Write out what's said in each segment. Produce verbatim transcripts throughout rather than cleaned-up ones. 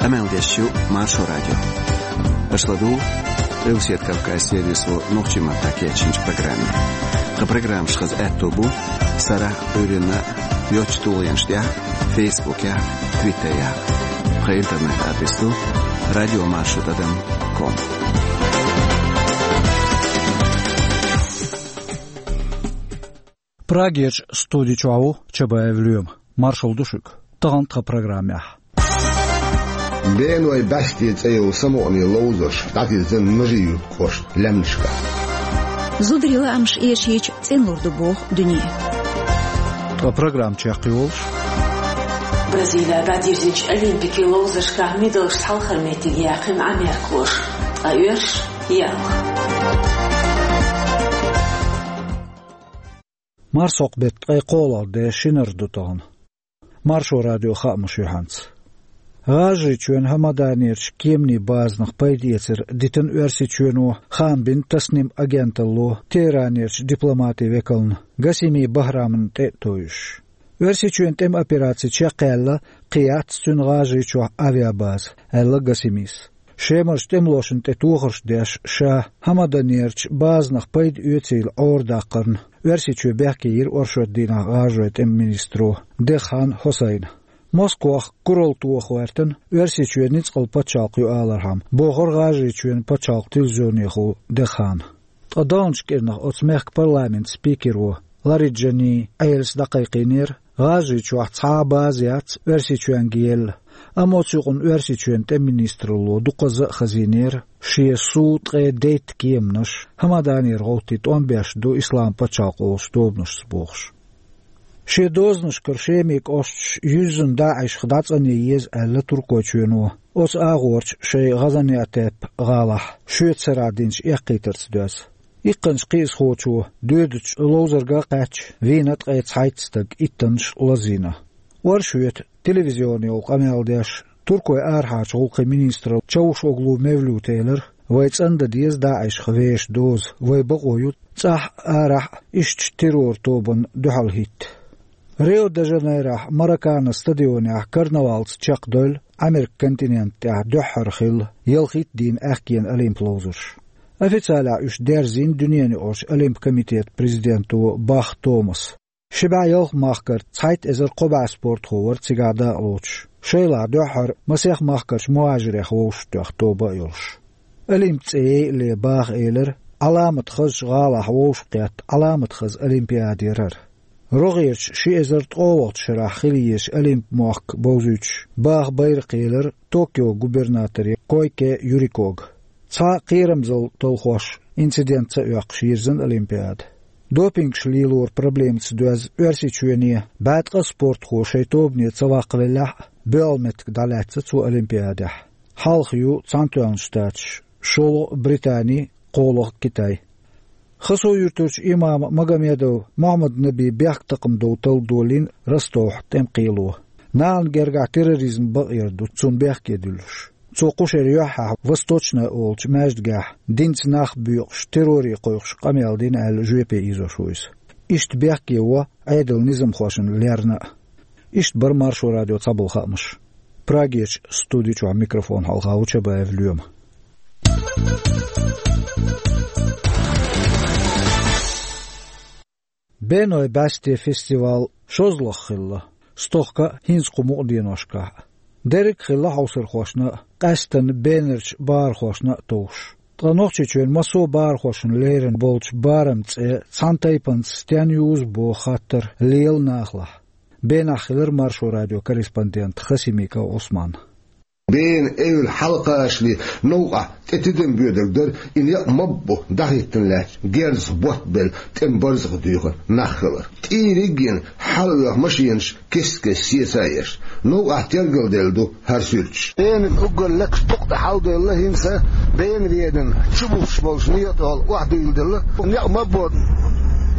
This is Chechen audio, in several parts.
Къамел деш ю Маршо радио. Аша ладугӀу Къилбаседа Кавказан сервисо нохчийн маттахь кечйинчу программе. Тхан программаш хаза аьтто бу сарахь а, Ӏуьйранна а йоцачу тулгӀенаш тӀехь а, Фейсбукехь а, Твиттерехь а. Тхан интернет-адрес ду радиомаршо тӀадам ком. Прагерчу студи чохь ву Чабаев Лоьма. Маршалла ду шуьга. Тахана тхан программехь: Бенойн баьсте цӀе йолу самукъане ловзарш дӀатирзина Нажи-Юьртан кӀоштан лаьмнашкахь. Зударийн лаамаш эшийча цӀена лур ду боху дуьне. Тхан программа чекхйолуш: Бразилехь дӀадирзинчу Олимпикийн ловзаршкахь медалшца хьалхара меттиг яьккхина Ӏамеркахоша, ткъа оьрсаша ялх. Марсхьокху-беттан ткъе кхоалгӀа де, шинара ду тахана. Маршо радион хаамаш юьхьанца. ГӀажарийчоьнан ХӀамаданерчу кеманийн базанах пайда эцар дитина Оьрсийчоьно, хаам бина Тасним агенталло Теһранерчу дипломатийн векална Гасими Бахрамна тӀе а тевжаш. Оьрсийчоьнан тӀеман операци чекхъяьлла, кхин яц цуьнан ГӀажарийчохь авиабаза, аьлла Гасимис. Шемарчу тӀемалошна тӀе тохарш деш, ша ХӀамаданерчу базанах пайда оьцийла Ӏорадаккхарна Оьрсийчоь бехке йира оршот дийнахь гӀажарийн тӀеман министро Деххан Хьусайна. Москвах куралла тоха гӀоьртина Оьрсийчоь ницкъала пачхьалкх ю алархьама, бохура ГӀажарийчоьнан пачхьалкхан телевизионехула Деххана. Ткъа даханчу кӀирнах оцу мехкан парламентан спикеро Лариджани Ӏелас дӀакхайкхийнера, ГӀажарийчохь цхьа а база яц Оьрсийчоьнга елла, амма оцу юкъана Оьрсийчоьнан тӀеман министралло дукхазза а хазийнера шен сов ткъе дейтта кеманаш, ХӀамаданера гӀовттий тӀом беш ду Исламан пачхьалкх олучу тобанашца бохуш. Шен дозанашкара Шеман кӀошташ юьззина ДаӀишах дӀацӀанъян еза аьлла Туркойчоьно, оцу агӀорчу шайн ГӀазаниантеп гӀалахь шоьца сарахь динчу эккхийтарца доьзна. Иккханчу кхиазхочо доьдучу ловзарга а кхаьчча, вийна ткъе цхьайтта стаг, иттаннаш лазийна. Оршот телевизионехула къамел деш, Туркойн арахьарчу гӀуллакхийн министро Чавушоглу Мевлюта элира, вай цӀандан деза ДаӀишах вешан доза, вай бакъо ю цӀахь а, арахь а иштачу террор-тобанна дуьхьал хӀитта. Рио-де-Жанейрохь Маракана стадионехь карнавалца чекхдевлла Ӏамеркан континент тӀехь дуьххьара хилла ялхитта дийна аьхкенан Олимп ловзарш. Официалехь уьш дерзийна дуьненаюкъарчу Олимп комитетан президенто Бах Томаса. Ши бӀе ялх махкара цхьайтта эзар кхо бӀе спортхо вара цигахь дакъалоцуш, шайлахь дуьххьара масех махкарчу мухӀажирех вовшахтоьхна тоба а йолуш. Олимп цӀе яйале Баха элира, Ӏаламат хазачу гӀалахь вовшахкхетта Ӏаламат хаза олимпиада яра хӀара. РогӀерчу ши эзар ткъолгӀачу шарахь хила езачу Олимп мохк бовзуьйтуш, Бахан байракх елира Токион губернаторе Койке Юрикога. Цхьа а кхерамзалла талхош инцидент ца оьккхуш йирзина Олимпиада. Допингаш лелоран проблемаца доьзна Оьрсийчоьне бӀе ткъа спортхо шайн тобане ца ваккхавеллехь а, боьалгӀа меттиг дӀалаьцна цо Олимпиадехь. Хьалха ю Цхьаьнатоьхначу Штаташ, шолгӀа Британи, кхоалгӀа Китай. Хасав-Юьртарчу имама Магомедов Мухьаммад-Набин бехктакхаман дов талла долийна Ростовхь тӀеман кхело. Нахана гергахь терроризм бакъ яр ду цунна бехке дуьллуш. Цо кху шеран юьххьехь Восточная олучу маьждигехь динца нах боькъуш, терроре кхойкхуш къамел дина аьлла жоьпе ийзош ву иза. Иштта бехке во Ӏедалан низамхошна лерна а. Иштта бара Маршо радион цхьаболу хаамаш. Прагерчу студи чохь микрофон хьалха ву Чабаев Лоьма. Бенойн баьсте фестиваль шозлагӀа хилла, стохка а, хӀинца кху мукъа деношкахь а. Дерриг а хилла хьовсархошна а, къаьсттина бенарчу бахархошна а товш. Ткъа Нохчийчоьнан массо а бахархошна лерина болчу бараман цӀе цхьана тайпанца стенна юзу боху хаттар лела нахалахь. Бенахь хилира Маршо радион корреспондент Хасимиков Ӏусман. Бена эвла хьалакхачале новкъахь тӀе тидам боьдург дара и некъ ма-ббу дӀахӀиттина лаьтташ герзах ботт белла тӀеман барзакъ дуьйхина нах хилар. ТӀийриг а йина, хьала а оьху машенаш кест-кеста сеца а еш, новкъахь тергалделла ду хӀара суьрташ. Бена уггар лекхачу дукъ тӀе хьалдевлла хӀинца, Бена ведана чубуссуш болчу некъа тӀехула охьадуьйладелла. Некъ ма-ббу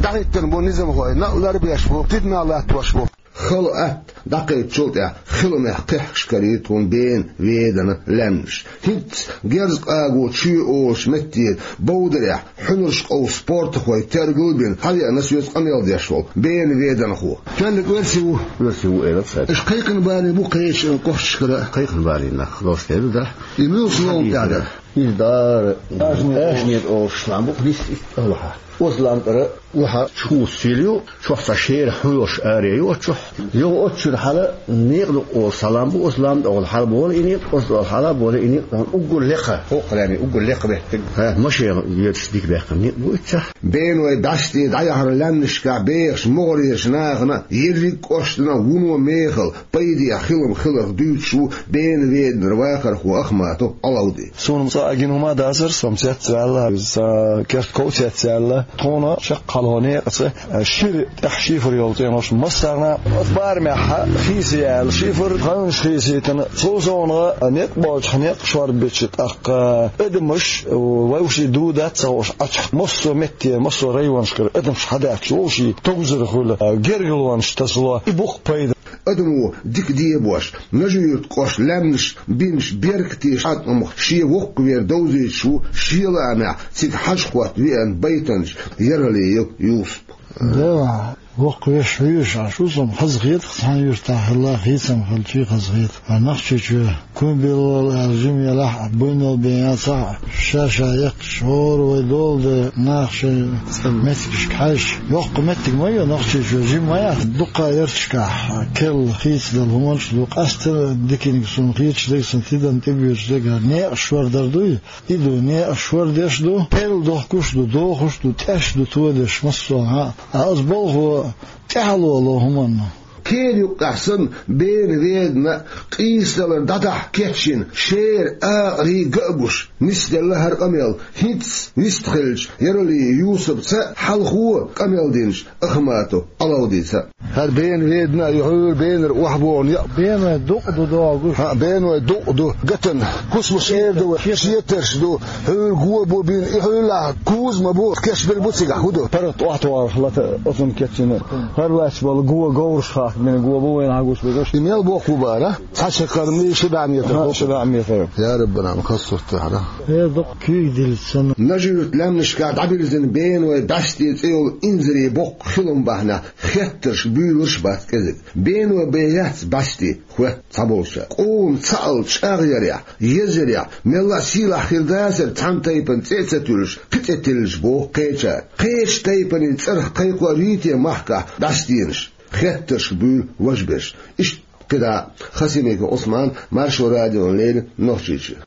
дӀахӀиттина бу низамхой, некъ ларбеш бу, тидамна латтош бу. Хала атта ДӀакхайччул тӀаьхьа хиламехь кхехкаш карийра тхуна Бена-Веданан лаьмнаш. ХӀинцца Герз-КъагӀо чоь олучу меттера Бовдарехь хьуьнарш къовсуш спортхой тергал а бина, хьавеана соьца къамел деш волу Бена-Веданхо. Тоьллиг оьрси ву? Оьрси ву, элира цара. Аша кхайкхина балийна бу кхечу кӀошташкара? Кхайкхина балийна нах, дош хӀун ду дара? И муьлха ловла тӀехь дара? Иза дара. Ажнет. Ажнет олуш лам бу, дис иштта алахьа. Оцу лам тӀера ваха чу сил ю, чохь цхьа шера хьуьнарш аре ю оцу чохь. Юха оцу чуьра хьала некъа дукъ олу салам бу, оцу лам тӀехула хьала болу и некъ, оцу тӀехула хьала болу и некъ, уггар лекха. ХӀокху лаьмнийн уггар лекха меттиг. ХӀа, машена йоьдуш дика баьккхина некъ бу и цхьа. Бенойн бӀаьсте дӀаяхьаран лаьмнашкахь бехаш могӀарерчу нахана ерриг а кӀоштана вуно мехала пайде хилам хиларх дуьйцуш ву Бена-Веданара вахархо Ахматов Ӏалавди. Суна цкъа а гина хӀума дацара, со-м цецваьлла, сан керта ков цецваьлла. Тхуна чекхъялхо некъаца шира тӀехь шифр йолу цӀенош массарна а, оцу барамехь хийца яьлла шифр, ханаш хийцийтина. Цул совнаха некъ боцчохь некъ шорбича, тӀаккха адамаш вовшийн ду-дац ца хууш Ӏачохь массо а метте, массо а районашкара адамаш хьадаьхкича вовшийн товзар хуьлу, гергарлонаш тасало, и бу-кх пайда. Адамо дика дебош, Нажи-Юьртан кӀоштан лаьмнаш бинчу беркате хьаькъамах шен воккхавер довзуьйтуш ву шен лаамехь цига хьажа-хӀотта веана байтанча Яралиев Юсуп. Дела, воккхавеш хьоьжуш Ӏаш ву со-м, хазахета-кх цхьана юьртахь хилла, хийцам хилча а хазахета. Ткъа Нохчийчоь куьйгалла аьлла жима елахь а, буйнал бен яцахь а, ша-ша яьккхича хӀора вай долу де нах шайн меттигашка хьаьжча, йоккха меттиг ма ю Нохчийчоь, жима ма яц. Дуккха а ярташкахь керла хийцадала хӀуманаш а ду, къаьсттина диканиг суна хеташ дерг, сан тидам тӀебоьдуш дерг, некъаш шордар дуй? И ду, некъаш шордеш ду, пӀелг дохкуш ду, дохуш ду, тӀеш ду тодеш массо а. Ткъа оцу балхо тӀаьхьало ло хӀуманна. Кхин юккъехь санна, Бена-Ведана къийсадалар дӀадахьа кечйина шера акъарий ган а гуш, нисделла хӀара къамел. ХӀинцца вистхиллачу Яралиев Юсупца а, хьалхо къамел динчу Ахматов Ӏалавдица а. ХӀара Бена-Ведана а ю хьуьра, Бенара охьабогӀу некъ. Бенойн дукъ ду догӀуш. ХӀаъ, Бенойн дукъ ду гатан. ХӀусамаш эр ду вай, шетарш ду, хьуьра го бу бина, и хьуьллахь куза ма бу, кечбелла бу цигахь, хӀун ду? ПаргӀат охьатохарх лата оцунна кечйина. ХӀара лаьтташ болу го говраш хахка бина го бу вайна хьагуш безаш. И мел боккха бу бара? Цхьа чаккхарма ши бӀе метр. ХӀаъ, ши бӀе метр. Я Раббана, хаза сурт тахьара. Э, дукха куьйга дилла санна. Нажи-Юьртан лаьмнашкахь дӀабирзина Бенойн бӀаьсте цӀе йолу инзаре боккха хилам бахьанехь хеттарш буьйлурш а бац кӀезиг. Бенойн бен яц бӀаьсте хоьтту цхьаболчара. Къоман цхьаалла чӀагӀъярехь, езъярехь, мелла а сийлахь хир дацара цхьана тайпана цӀе а ца туьллуш, кхин цӀе тиллича, боху кхечара. Кхечу тайпанийн цӀарах кхайкхор юй те махкахь бӀаьстенаш? Хеттарш буьйлу важберш. Иштта кхидӀа а. Хасимиков Ӏусман, Маршо радиона леррина, Нохчийчоь.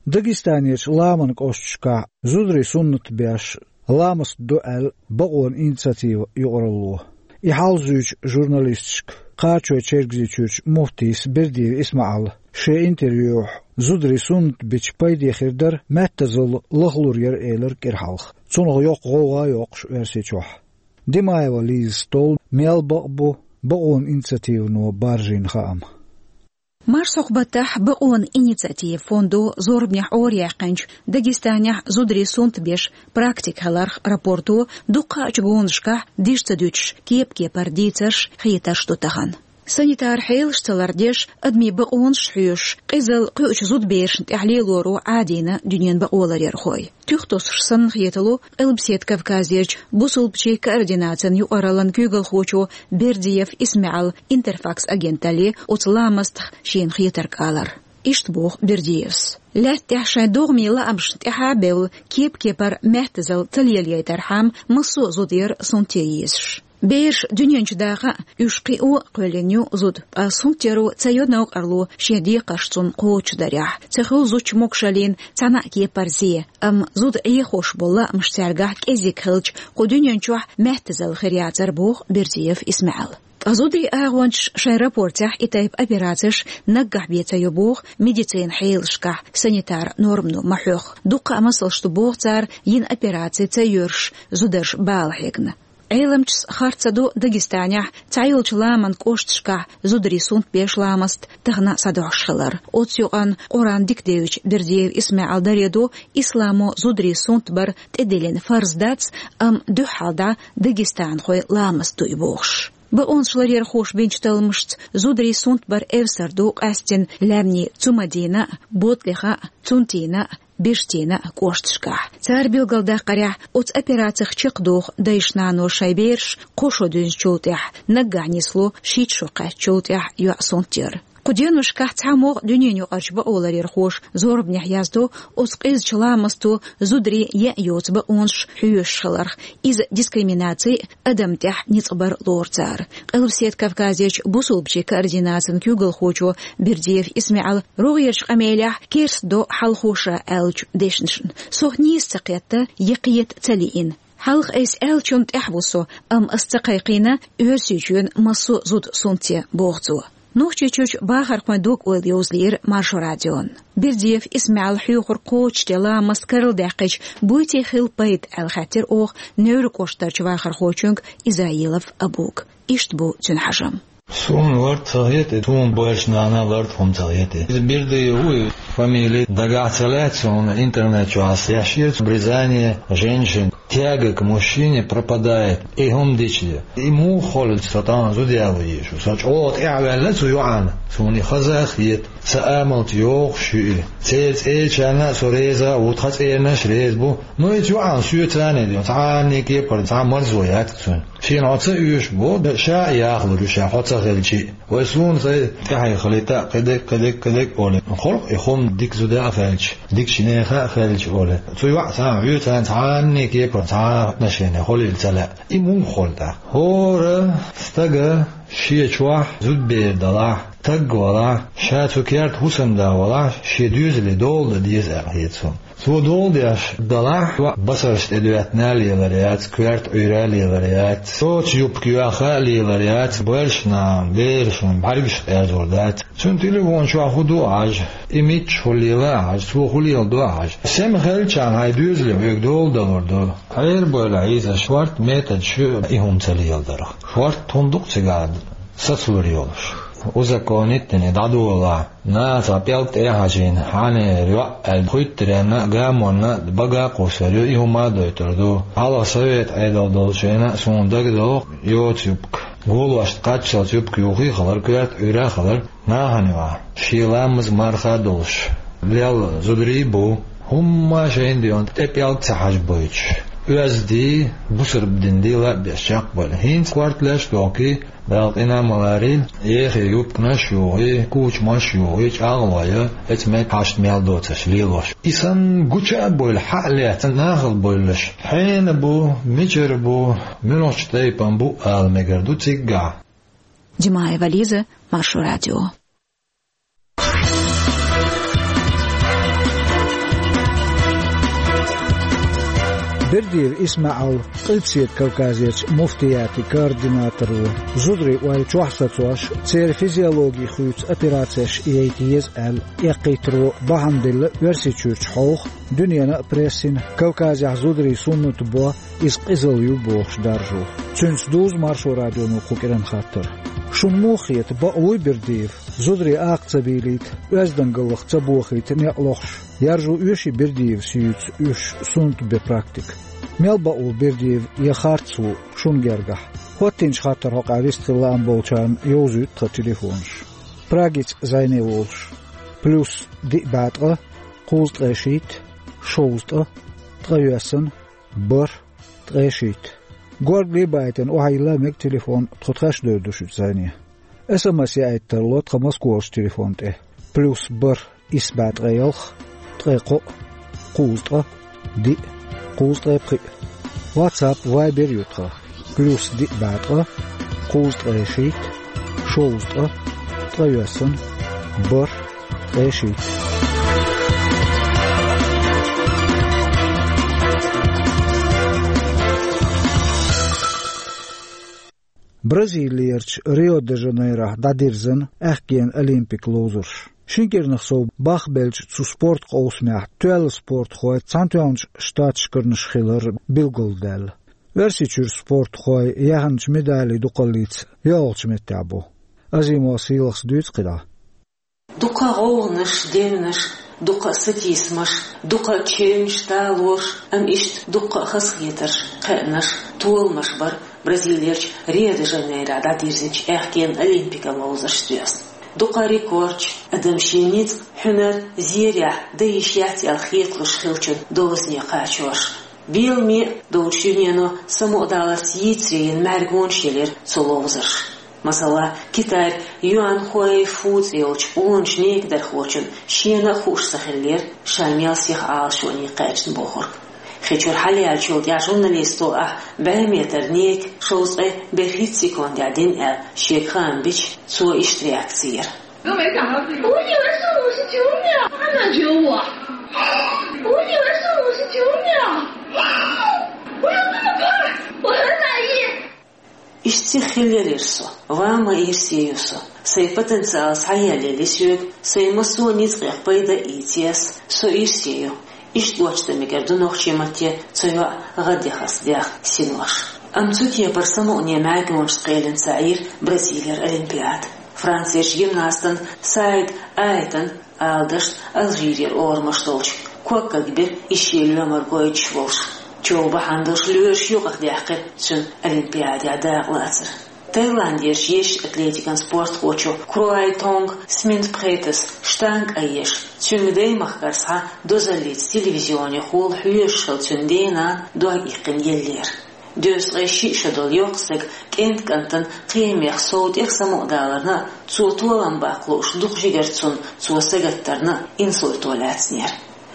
Дагестанерчу ламан кӀошташкахь зударий суннат беш ламаст ду аьлла бакъонан инициатива юкъаралло. И хьал зуьйчу журналисташка Кхачой-Чергазийчуьрчу муфтийс Бердиев ИсмаӀала шен интервьюхь зударий суннат бича пайде хир дара, маьттазалла лахлур яра элира кӀира хьалха. Цунах йоккха гӀовгӀа а йоккхуш Оьрсийчохь. Димаева Лизас толлу мел бакъ бу бакъонан инициативано баржийна хаам. Марсхьокху баттахь бакъонан инициатива фондо зорбанехь Ӏораяьккхинчу Дагестанехь зударий суннат беш практика хиларх рапорто дуккхаъчу гонашкахь дижа ца дуьтуш, кеп-кепара дийцарш, хетарш ду тахана. Санитар хьелаш ца лардеш, адамийн бакъонаш хьоьшуш, къизалла кхуьучу зудаберашна тӀехь лелоро Ӏадийна дуьненан бакъоларъярхой. Туьха тосуш санна хетало Къилбаседа Кавказерчу бусулбачийн координацин юкъараллан куьйгалхочо Бердиев ИсмаӀала Интерфакс агенталле оцу ламастах шена хетарг алар. Иштта боху Бердиевс: лаьтта тӀехь шайн догӀмийн лаамашна тӀаьхьа а бевлла, кеп-кепара маьттазалла ца лелайтархьама, массо а зуда яра сунтъян езаш. Бераш дуьнен чу дакъа а, уьш кхио а кхоьллина ю зуда, ткъа сунтъяро ца йо новкъарло шен декхарш цунна кхочушдарехь. Ца хуьлу зудчун могушаллина цхьана а кепара зе, амма зуда Ӏехош болу лаамаш цаьргахь кӀезиг хилча, кху дуьнен чохь маьттазалла хир яцара, боху Бердиев ИсмаӀала. Ткъа зударийн агӀончаш шайн рапортехь и тайпа операцеш наггахь бен ца йо боху, медицинан хьелашкахь санитар нормано ма хьоьху. Дуккха а масалш ду боху цара, йина операци ца йоьрзуш, зударш бала хьегна. Ӏеламчаш харц ца до Дагестанехь цхьайолчу ламан кӀошташкахь зударий сунтбеш ламаст тахана схьадохьуш хилар. Оцу юкъанна Къуръан дика девзачу Бердиев ИсмаӀала даре до, исламо зударий сунтбар тӀедиллина фарз дац, амма дуьххьал дӀа дагестанхойн ламаст ду и бохуш. Бакъонаш ларъярхоша бинчу талламашца зударийн сунтбар эвсар ду къаьсттина лаьмнийн Цумадина а, Ботлиха а, Цунтина а, Бежтина а кӀошташкахь. Цара билгалдаккхарехь, оцу операцех чекхдоху дайша-нанойша шайн бераш кхо шо дуьзначул тӀаьхьа, наггахь нисло шийтта шо кхаьчначул тӀаьхьа йоӀ сунтъяр. Кху деношкахь цхьаммо а дуьненаюкъарчу бакъоларъярхоша зорбанехь яздо оцу къизачу ламасто зударийн яа йоцу бакъонаш хьоьшуш хиларх, иза дискриминаци а, адамна тӀехь ницкъ бар а лору цара. Къилбаседа Кавказерчу бусалбачийн координацин куьйгалхочо Бердиев ИсмаьӀала рогӀерчу къамелехь керстдо хьалхо ша аьллачу дешнашна: «Сох нийса ца кхетта, я кхета ца лиъна. Хьалха айса аьллачунна тӀаьхьа ву со, амма ас ца кхайкхийна Оьрсийчоьнан массо а зуда сунтъе», — боху цо. Нохчийчуьрчу бахархойн дог-ойла йовзалийра Маршо радион. Бердиев ИсмаьӀала хьоьхург кхочушде ламаст карладаьккхича, буй те хила пайда аьлла хаьттира оха Невран кӀоштарчу вахархочуьнга Изаилов Абуга. Иштта бу цуьнан хьажам. Суна лард ца хета, суна баьрчу нана лард хӀума ца хета. Иза Бердиев ву, и фамили дагахь ца лаьцна, суна интернет чохь ас ешира, обрезание женщин, тяга к мужчине пропадает. И хӀума дича, и муха хуьлу, со тахана зуда яло еза шу. Со чӀогӀа тӀаьхьаваьлла цу йоӀана, суна и хаза а хета. Сан амалца йогӀуш ю и. Церан цӀерачарна а со реза а ву, тхан цӀеранаш а реза бу. Ну, и цу йоӀана соьца а не ден, цхьанна а кепара цхьа а марзо яц цуьнан. Шена хьо ца оьшу боху, ша а яхалур ю ша, хьо ца хилча а. Вай суна сайн тӀаьхье хилийта а, кхидерг, кхидерг, кхидерг олий. Халкъ и хӀума дика зуда а хилча, дикачу нехан а хилча олий. Цу йоӀ цхьа а оьцу, цхьанна а кепара цхьа а отношение хуьлийла ца лаьа. И муха хуьлу тӀаккха? ХӀора стага шен чохь зудбер далахь, таг валахь, ша цу керта хӀусамда валахь, шен доьзале дола дан деза аьлла хета суна. Цо дола деш далахь, йоӀ басарш тӀедоьттина а лелар яц, коьрта Ӏуьйра а лелар яц, цо цу юбка йоьхна а лелар яц, баьрчу нахана, берашна бӀаьргаш къерзор дац. Цуьнан телефон чохь хӀун ду а хьажа, и миччахь хӀун лела а хьажа, цо хӀун леладо а хьажа. Сема хилчахьана хьайн доьзале хьоьга дола далур ду. Хьерабойла хьийза, шортта методаш ю и хӀума ца леладарх. Шортта хӀун ду-кх цигахь сацалур йолуш? Узаконить дина дӀадолахь. Наха цхьа пӀелг тӀе а хьажийна, хьанера йоӀ аьлла, хуьттаренна а, гамонна а бага а кхуссур ю, и хӀума а дойтур ду. Хьалха совет Ӏедал долчу хенахь а суна дагадогӀу йоцу юбка. Голошна кхаччалц юбка юххе а хилар, коьрта Ӏуьйра а хилар, нахана юкъахь шен ламаз, марха а долуш лелла зударий а бу. ХӀумма а шайна ден тӀе пӀелг ца хьажабойтуш, оьзда дий, бусалба дин дий лаа а беш чекхбевлла. ХӀинца корта леш а дохкий, Дала къинхьа ма ларийла, эха юбканаш а юхий, кучамаш а юхий, чӀагӀлой, эца мега хьашт мел доцуш лелош. И санна гуча а бевлла, хьа а лаьцна нахала бевлларш хьенан бу, мичара бу, муьлхачу тайпана бу ала мегар ду циггахь. Димаева Лиза, Маршо радио. Бердиев ИсмаӀал Къилбаседа Кавказерчу муфтиятийн координаторо, зударийн ойла чохь сацош, церан физиологи хуьйцу операцеш яйта еза аьлла, эккхийтаро бахьана делла Оьрсийчуьрчу хьовха, дуьненан а прессина, Кавказехь зударийн суннат бо, иза къизалла ю бохуш даржо. Цуьнца дузу Маршо радионо кху кӀиран хаттар. Шуна муха хета, бакъ вуй Бердиев, зударий акха ца бийлийта, оьздангаллах ца бохийта некъ лохуш, яржо оьший Бердиевс юьйцу уьш суннат бен практика? Мел бакъ ву Бердиев я харц ву шуна гергахь? ХӀоттийначу хаттаран хьокъехь вистхила лаам болчарна йовзуьйту тхан телефонаш. Прагица Зайне волуш: плюс диъ бӀе ткъа, кхузткъе шийтта, шовзткъа, ткъайоьсна, бархӀ, ткъе шийтта. Горгали а баийтина, охьайилла мега телефон, тхо тхаьш девр ду шуьца, Зайне. СМС яийта тарло тхан Москварчу телефон тӀе: плюс бархӀ, исс бӀе ткъе ялх, ткъе кхоъ, кхузткъа, диъ, кхузткъе пхиъ. WhatsApp, Viber ю тхан: плюс диъ бӀе ткъа, кхузткъе шийтта, шовзткъа, ткъайоьсна, бархӀ, ткъе шийтта. Бразилерчу Рио-де-Жанейрохь дӀадирзина аьхкенан Олимпик ловзарш. Шина кӀирнах сов бахбеллачу цу спорт къовсамехь тоьлла спортхой Цхьаьнатоьхначу Штаташкарнаш хилар билгалдаьлла. Оьрсийчуьра спортхой яьхначу медалийн дукхаллица йоьалгӀачу меттехь бу. Азимова Сийлахас дуьйцу кхидӀа. Дукха гӀовгӀанаш, девнаш, дукха сатийсамаш, дукха чевнаш, талораш, амма иштта дукха хазахетарш, кхиамаш, толамаш бара Бразилерчу Рио-де-Жанейрохь дӀадирзинчу аьхкенан олимпикан ловзаршца доьзна. Дукха рекордаш, адам шен ницкъ, хьуьнар зерехь дан йиш яц аьлла хеталуш хиллачун дозане кхачорш. Беламе а долчу дуьнено самукъадаларца йийцаре йина маьргонаш елира цу ловзарша. Масала, Китайра Юан Хуэй Фу цӀе йолчу къоначу некадархочун шена а хууш ца хиллера, ша мел сиха Ӏалашоне кхаьчна бохург. Хи чуьра хьалаяьллачул тӀаьхьа журналисто ахь бӀе метр нека шовзткъе берхӀитта секундехь дина аьлла, шега хаам бича, цо иштта реакци йира. 都没想到这个。我以为是五十九秒，他们觉得我，我以为是五十九秒，我有这么快，我很满意。 Иштта сиха хиллера со, ван ма ирсе ю со. Сайн потенциал схьаеллале соьга, сайн массо а ницкъех пайда а ийци ас, со ирсе ю. Иштта гочдамигара ду нохчийн матте цу йоӀан гӀаддахарца даьхна синош. Амма цу кепара самукъане маьркӀанашца кхелина ца Ӏийра Бразилера олимпиада. Францерчу гимнастан Саид Айтан, ала дашна, Алжирера орамаш долчу, когга бира и шен лоьмар гойтуш волуш. Чов бахьана долуш лоьраш юкъахдаьккхира цуьнан олимпиадехь дакъалацар. Таиландерчу ешачу атлетикан спортхочо Круайтонг Сминтпхетас штанга айъеш, цуьнга даймахкара схьа дозаллица телевизионехула хьоьжуш хилла цуьнан ден-нана дог иккхина еллера. Дезткъе шиъ шо долу йоккха стаг кӀентан кӀантана кхиамех сов тӀех самукъадаларна а, цо толам баккха лууш дукха жигара цунна цо сагатдарна а инсульто лаьцнера.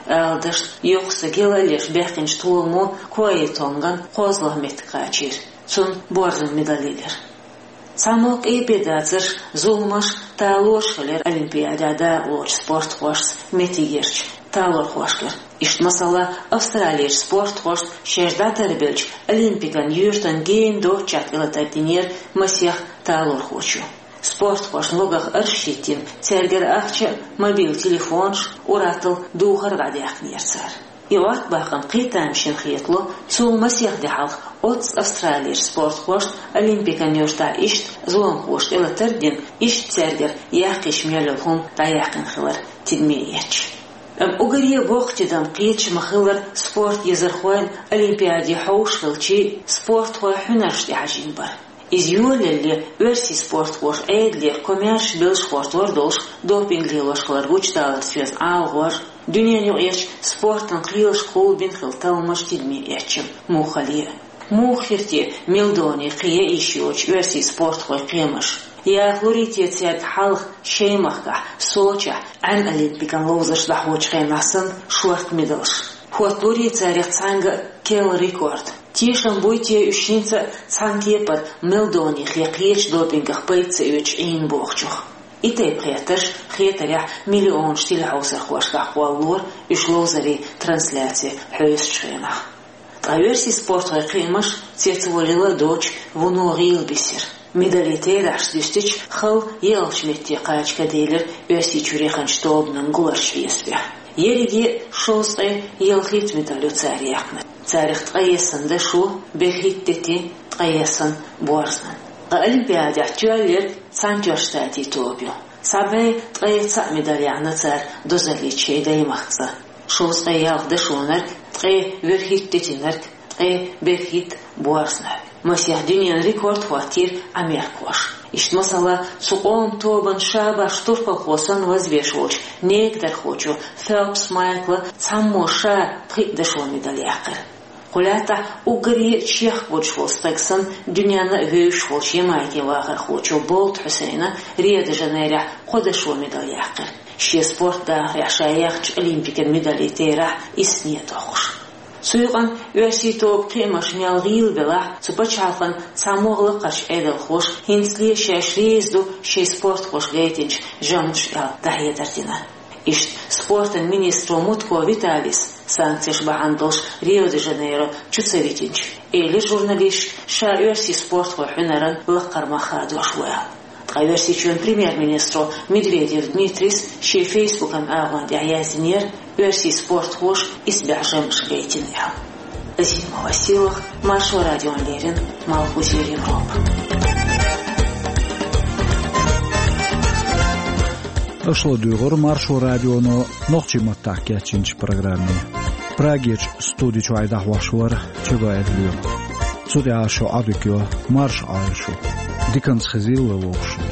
Ала дашна, йоккха стаг яла а леш баьккхинчу толамо Круайтонган кхозлагӀа меттиг кхачийра. Цунна борзан медаль елира. Цхьаммо къепе дацарш, зуламаш, талораш хилира олимпиадехь дакъалоцучу спортхошца меттигерчу талорхошкара. Иштта, масала, Австралерчу спортхошна шаьш дӀатарбеллачу олимпикан юьртан гена доцчохь тӀелатар динера масех талорхочо. Спортхошна логах арш хӀиттина, цаьргара ахча а, мобил телефонаш а, ур-атталла духар а дӀадаьккхинера цара. И Ӏоттабаккхам кхин а тамашийна хетало, цул масех де хьалха оццу Австралерчу спортхошна олимпикан юьртахь иштта зуламхоша тӀелатар а дина, иштта цаьргара яккхийчу мел йолу хӀума дӀаяьккхина хилар тидаме эцча. Амма уггаре а боккха тидам кхеташ ма-хиллара спорт езархойн олимпиаде хьовш хилчий, спортхойн хьуьнарш тӀехьажийна бара. Иза йолаелле, оьрсийн спортхоша Ӏедалера комаьрша белш хӀоттор долуш, допинг лелош хилар гучудаларца доьзна ӀалагӀор, дуьненаюкъарчу спортан кхелашкахула бина хилла талламаш тидаме эцча, муххале а. Муха хир те милдоне кхин йиш йоцуш оьрсийн спортхойн кхиамаш? Яха лур ю те цаьрга хьалха шайн махкахь, Сочехь, Ӏаьнан олимпикан ловзарш дӀахьочу хенахь санна, шорта медалш? ХӀотталур ю царех цхьаьнга а керла рекорд? Тешам буй те уьш хӀинца а цхьана кепара милдонех я кхечу допингах пайда ца оьцуш Ӏийна бохучух? И тайпа хеттарш, хетарехь, миллионаш телехьовсархошкахь кхоллалора, уьш ловзарийн трансляци хьоьстучу хенахь. Ткъа оьрсийн спортхойн кхиамаш цецвалийла а доцуш, вуно гӀийла бисира. Медалийн терахьаш дуьстича, хала йоьалгӀачу метте кхача каделира Оьрсийчуьра яханчу тобанан гуларчу хьесапехь. Ерриге а шовзткъе ялхитта медаль ю цара яьккхинарг. Царах ткъаессан дашо, берхӀитта детин, ткъаессан борзан. Ткъа олимпиадехь тоьлларг Цхьаьнатоьхначу Штатийн тоба ю. Цхьа бӀе ткъе цхьаъ медаль яьхьна цара дозаллица шайн даймахкаца. Шовзткъе ялх дашонарг, ткъе верхӀитта детинарг, ткъе берхӀитта борзанарг. Масех дуьненан рекорд хӀоттийра америкхоша. Иштта, масала, цу къоман тобанан шабаш турпалхо санна вазвеш волчу некадархочо Фелпс Майкла цхьаммо ша пхиъ дашо медаль яьккхира. Кху лаьттахь уггаре а чехка гучу волу стаг санна, дуьненна а вевзаш волчу Ямайкин вахархочо Болт Хьусайна Рио-де-Жанейрохь кхо дашо медаль яьккхира. Шен спорт дахарехь ша яьхначу олимпикан медалийн терахь иссане а доккхуш. Цу юкъана оьрсийн тоба кхиамаш мел гӀийла белахь а, цу пачхьалкхан цхьаммо а лакхарчу Ӏедалхоша хӀинцале шаьш реза ду шайн спортхоша гайтинчу жаманаш аьлла дӀахьедар дина. Иштта спортан министро Мутко Виталис санкцеш бахьана долуш Рио-де-Жанейро чу ца витинчу, элира журналисташка ша оьрсийн спортхойн хьуьнаран лакхара мах хадош ву аьлла. Ткъа Оьрсийчоьнан премьер-министро Медведев Дмитрис шен фейсбукан агӀон тӀехь яздинера, оьрсийн спортхоша исбаьхьа жаманаш гайтина аьлла. Азимова Силах, Маршо радиона леррина, Малхбузера Европа. Аша ладуьйгӀура Маршо радионо нохчийн маттахь кечйинчу программе. Прагерчу студи чуьра дӀахьош вара Чабаев Лоьма. Цу тӀа шо Ӏадика йо, марша Ӏойла шу. Диканца хезийла вай вовшашца.